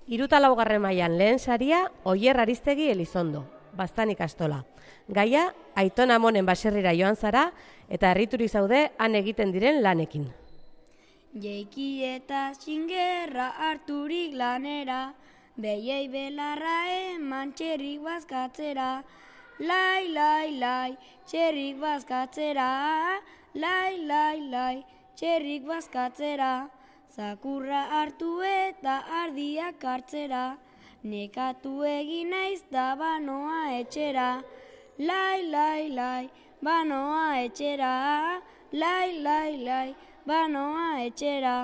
Hirutalaugarren mailan lehen saria Oier Aristegi Elizondo, Baztan ikastola. Gaia, Aitona Amonen baserrira joan zara eta harrituri zaude han egiten diren lanekin. Jeiki eta xingerra harturik lanera, behiei belarra eman txerrik bazkatzera. Lai, lai, lai, txerrik bazkatzera, lai, lai, lai, txerrik bazkatzera. Zakurra hartu eta ardiak hartzera, nekatu egin naiz da banoa etxera. Lai, lai, lai, banoa etxera, lai, lai, lai, banoa etxera.